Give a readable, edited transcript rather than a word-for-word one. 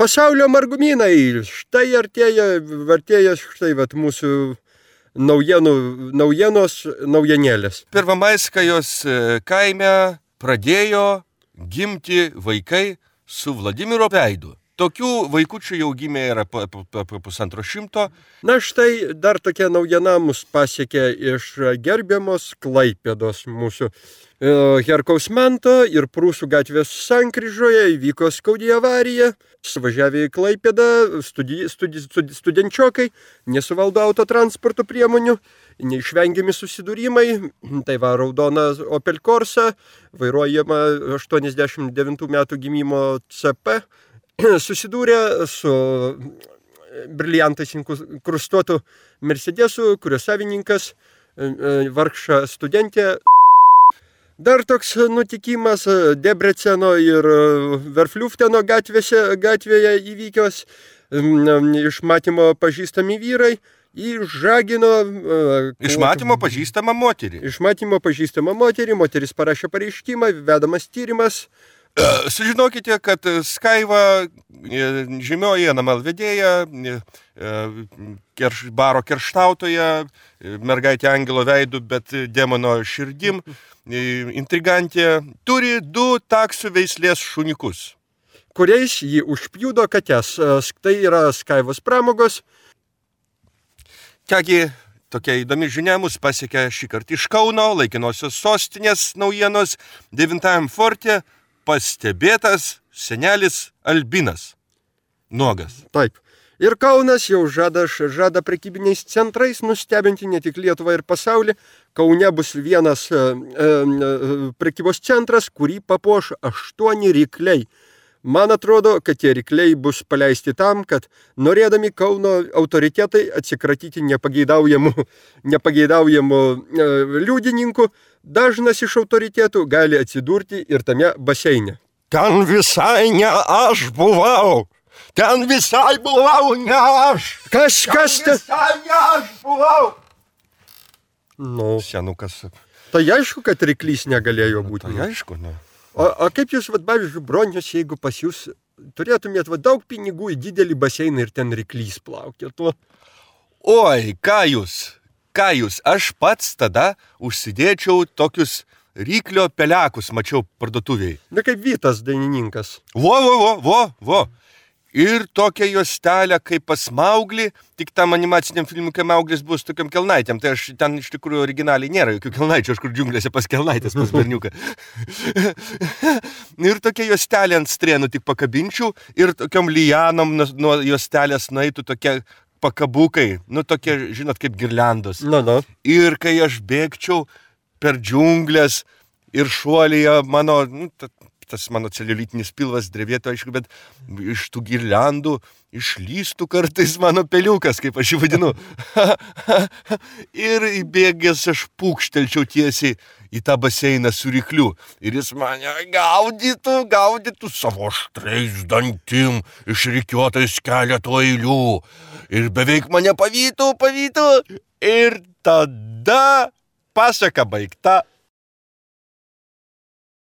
Pasaulio margumynai. Štai artėja štai vat mūsų naujienėlės. Prvamaiskajos kaime pradėjo gimti vaikai su Vladimiro veidu. Tokių vaikučių jau gimė yra po 150. Na štai dar tokia naujiena mus pasiekė iš gerbiamos Klaipėdos mūsų Herkaus Manto ir Prūsų gatvės sankryžoje įvyko skaudi avarija. Suvažiavę į Klaipėdą studenčiokai nesuvaldo autotransporto priemonių, neišvengiami susidūrimai. Tai va raudona Opel Corsa, vairuojama 89 metų gimimo CP. Susidūrė su briliantais inkrustuotu Mercedesu, kurio savininkas vargša studentė. Dar toks nutikimas Debreceno ir Verfliufteno gatvėje įvykios. Iš matymo pažįstami vyrai išžagino... Iš matymo pažįstama moterį. Iš matymo pažįstama moterį. Moteris parašė pareiškimą, vedamas tyrimas. Sužinokite, kad Skaiva, žymioji NML vedėja, baro kerštautoja, mergaitė angelo veidu, bet demono širdim, intrigantė, turi 2 taksų veislės šuniukus, kuriais jį užpjudo kates. Tai yra Skaivos pramogos. Kągi, tokia įdomi žinia mus pasiekė šį kartą iš Kauno, laikinosios sostinės naujienos, 9 forte pastebėtas senelis Albinas. Nuogas. Taip. Ir Kaunas jau žada prekybiniais centrais nustebinti ne tik Lietuvą ir pasaulį. Kaune bus vienas prekybos centras, kurį papuoš 8 rykliai. Man atrodo, kad tie rykliai bus paleisti tam, kad norėdami Kauno autoritetai atsikratyti nepageidaujamų liudininkų, dažnas iš autoritetų gali atsidurti ir tame baseine. Ten visai ne aš buvau. Ten visai buvau ne aš. Kas ten? Visai ne aš buvau. Nu, Senukas. tai aišku, kad ryklys negalėjo būti. Tai aišku, ne. O kaip jūs, pavyzdžiui, bronius, jeigu pas jūs turėtumėt daug pinigų į didelį baseiną ir ten ryklys plaukėtų? Oi, ką jūs, aš pats tada užsidėčiau tokius ryklio pelekus, mačiau parduotuviai. Na kaip Vytas dainininkas. Vo. Ir tokia juostelė kaip pas Mauglį, tik tam animaciniam filmui, kai Mauglis bus tokiam kelnaitėm. Tai aš ten iš tikrųjų originaliai nėra jokių kelnaičių, aš kur džiunglėse pas kelnaitės, pas berniuką. Ir tokia juostelė ant strėnų tik pakabinčiau ir tokiom lianom nuo juostelės nueitų tokie pakabukai, tokie, žinot, kaip girliandos. Na. Ir kai aš bėgčiau per džiunglės ir šuolyje tas mano celiulitinis pilvas drevėtų, aišku, bet iš tų girliandų išlystų kartais mano peliukas, kaip aš jį vadinu. Ir įbėgęs aš pūkštelčiau tiesiai į tą baseiną su rykliu. Ir jis mane gaudytų savo aštriais dantim, išrikiuotais keletų eilių. Ir beveik mane pavytų. Ir tada pasaka baigta.